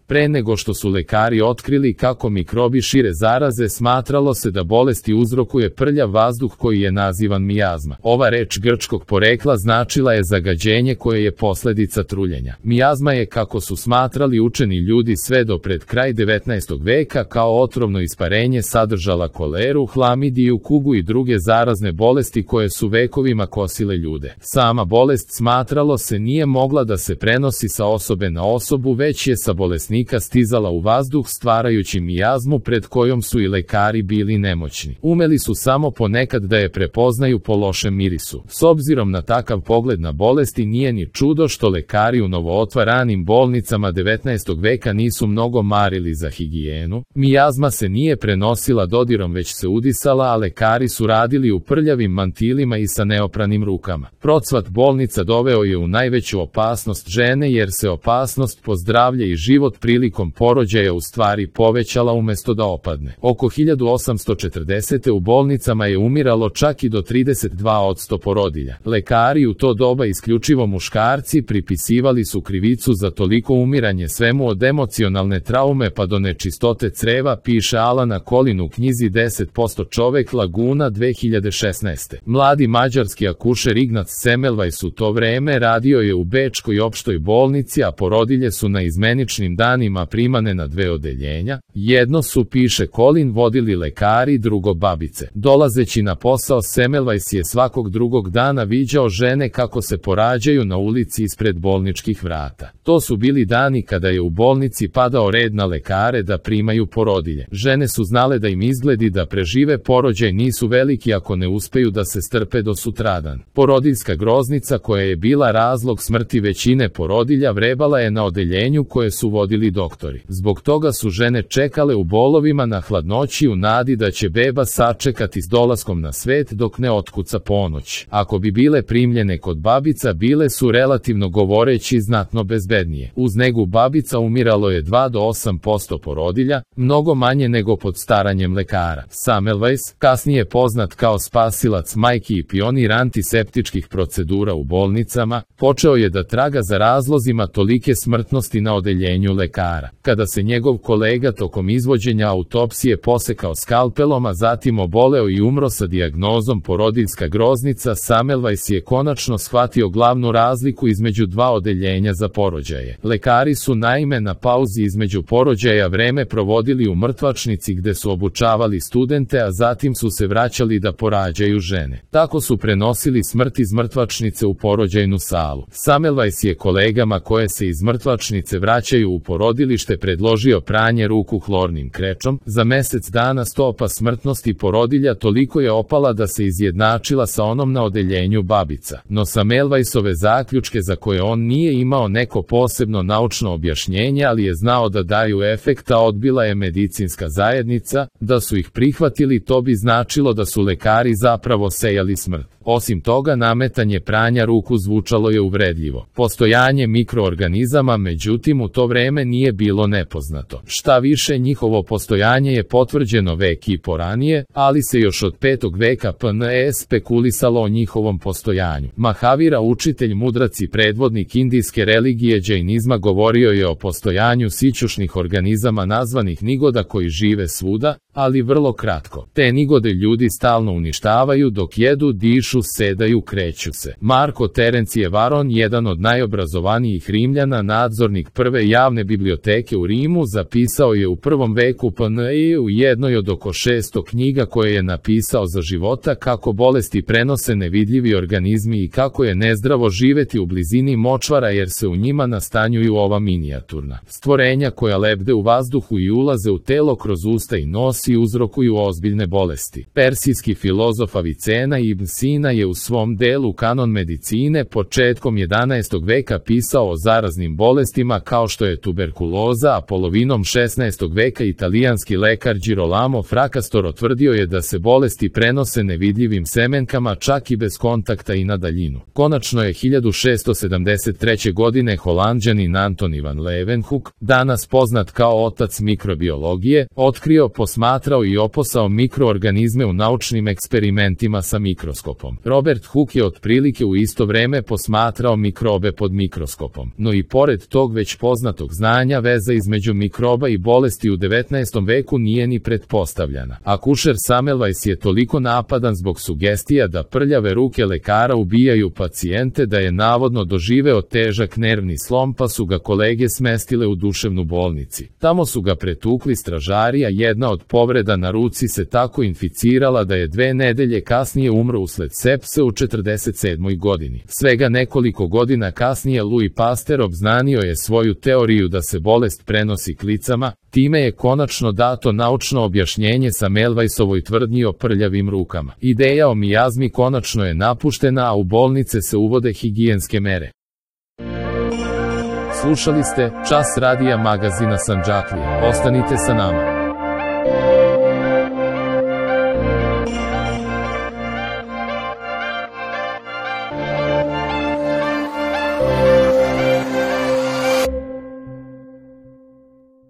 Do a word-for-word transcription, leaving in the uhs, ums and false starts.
Pre nego što su lekari otkrili kako mikrobi šire zaraze, smatralo se da bolesti uzrokuje prljav vazduh koji je nazivan mijazma. Ova reč grčkog porekla značila je zagađenje koje je posledica truljenja. Mijazma je, kako su smatrali učeni ljudi sve do pred kraj devetnaestog veka, kao otrovno isparenje sadržala koleru, hlamidiju, kugu i druge zarazne bolesti koje su vekovima kosile ljude. Sama bolest, smatralo se, nije mogla da se prenosi sa osobe na osobu, već je sa bolesnika stizala u vazduh, stvarajući mijazmu pred kojom su i lekari bili nemoćni. Umeli su samo ponekad da je prepoznaju po lošem mirisu. S obzirom na takav pogled na bolesti, nije ni čudo što lekari u novootvaranim bolnicama devetnaestog veka nisu mnogo marili za higijenu. Mijazma se nije prenosila dodirom, već se udisala, a lekari su radili u prljavim mantilima i sa neopranim rukama. Procvat bolnica doveo je u najveću opasnost žene, jer se opasnost po zdravlje i život prilikom porođaja u stvari povećala umesto da opadne. Oko hiljadu osamsto četrdesete. u bolnicama je umiralo čak i do trideset dva posto porodilja. Lekari, u to doba isključivo muškarci, pripisivali su krivicu za toliko umiranje svemu od emocionalne traume pa do nečistote creva, piše Alana Colin u knjizi deset posto čovek Laguna dve hiljade šesnaeste. Mladi mađarski akušer Ignác Semmelweis u to vreme radio je u Bečkoj opštoj bolnici, a porodilje su na izmeničnim danima primane na dve odeljenja. Jedno su, piše Colin, vodili lekari, drugo babice. Dolazeći na posao, Semmelweis je svakog drugog dana viđao žene kako se porađaju na ulici ispred bolničkih vrata. To su bili dani kada je u bolnici padao red na lekare da primaju porodilje. Žene su znale da im izgledi da prežive porođaj nisu veliki ako ne uspeju da se strpe do sutradan. Porodiljska groznica, koja je bila razlog smrti većine porodilja, vrebala je na odeljenju koje su vodili doktori. Zbog toga su žene čekale u bolovima na hladnoći u nadi da će beba sačekati s dolaskom na svet dok ne otkuca ponoć. Ako bi bile primljene kod babica, bile su, relativno govoreći, znatno bezbednije. Uz negu babica umiralo je dva do osam posto porodilja, mnogo manje nego pod staranjem lekara. Semmelweis, kasnije poznat kao spasilac majki i pionir antiseptičkih procedura u bolnicama, počeo je da traga za razlozima tolike smrtnosti na odeljenju lekara. Kada se njegov kolega tokom izvođenja autopsije posekao skalpelom, a zatim oboleo i umro sa dijagnozom porodiljska groznica, Semmelweis je konačno shvatio glavnu razliku između dva odeljenja za porođaje. Lekari su naime na pauzi između porođaja vreme provodili u mrtvačnici gde su obučavali studente, a zatim su se vraćali da porađaju žene. Tako su prenosili smrt iz mrtvačnice u porođajnu salu. Semmelweis je kolegama koje se iz mrtvačnice vraćaju u porodilište predložio pranje ruku hlornim krečom. Za mesec dana stopa smrtnosti porodilja toliko je opala da se izjednačila sa onom na odeljenju babica. No Semmelweisove zaključke, za koje on nije imao neko posebno naučno objašnjenje, ali je znao da daju efekta, odbila je medicinska zajednica. Da su ih prihvatili, to bi značilo da su lekari zapravo sejali smrt. Osim toga, nametanje pranja ruku zvučalo je uvredljivo. Postojanje mikroorganizama, međutim, u to vreme nije bilo nepoznato. Šta više, njihovo postojanje je potvrđeno vek i poranije, ali se još od petog veka P N E spekulisalo o njihovom postojanju. Mahavira, učitelj, mudrac i predvodnik indijske religije džainizma, govorio je o postojanju sićušnih organizama nazvanih nigoda koji žive svuda, ali vrlo kratko. Te nigode ljudi stalno uništavaju dok jedu, dišu, sedaju, kreću se. Marko Terencije Varon, jedan od najobrazovanijih Rimljana, nadzornik prve javne biblioteke u Rimu, zapisao je u prvom veku P N E u jednoj od oko šesto knjiga koje je napisao za života kako bolesti prenose nevidljivi organizmi i kako je nezdravo živeti u blizini močvara jer se u njima nastanjuju ova minijaturna stvorenja koja lebde u vazduhu i ulaze u telo kroz usta i nos i uzrokuju ozbiljne bolesti. Persijski filozof Avicena ibn Sina je u svom delu Kanon medicine početkom jedanaestog veka pisao o zaraznim bolestima kao što je tuberkuloza, a polovinom šesnaestog veka italijanski lekar Girolamo Fracastoro tvrdio je da se bolesti prenose nevidljivim semenkama čak i bez kontakta i na daljinu. Konačno je hiljadu šesto sedamdeset treće. godine Holanđanin Anton van Leeuwenhoek, danas poznat kao otac mikrobiologije, otkrio, posmatrao i oposao mikroorganizme u naučnim eksperimentima sa mikroskopom. Robert Hooke je otprilike u isto vreme posmatrao mikrobe pod mikroskopom. No i pored tog već poznatog znanja znanja veza između mikroba i bolesti u devetnaestom veku nije ni pretpostavljana. Akušer Semmelweis je toliko napadan zbog sugestija da prljave ruke lekara ubijaju pacijente da je navodno doživeo težak nervni slom, pa su ga kolege smestile u duševnu bolnici. Tamo su ga pretukli stražari, a jedna od povreda na ruci se tako inficirala da je dve nedelje kasnije umro usled sepse u četrdeset sedmoj godini. Svega nekoliko godina kasnije Louis Pasteur obznanio je svoju teoriju da se bolest prenosi klicama, time je konačno dato naučno objašnjenje Semmelweisovoj tvrdnji o prljavim rukama. Ideja o mijazmi konačno je napuštena, a u bolnice se uvode higijenske mere. Slušali ste Čas radija magazina Sandžaklija. Ostanite sa nama.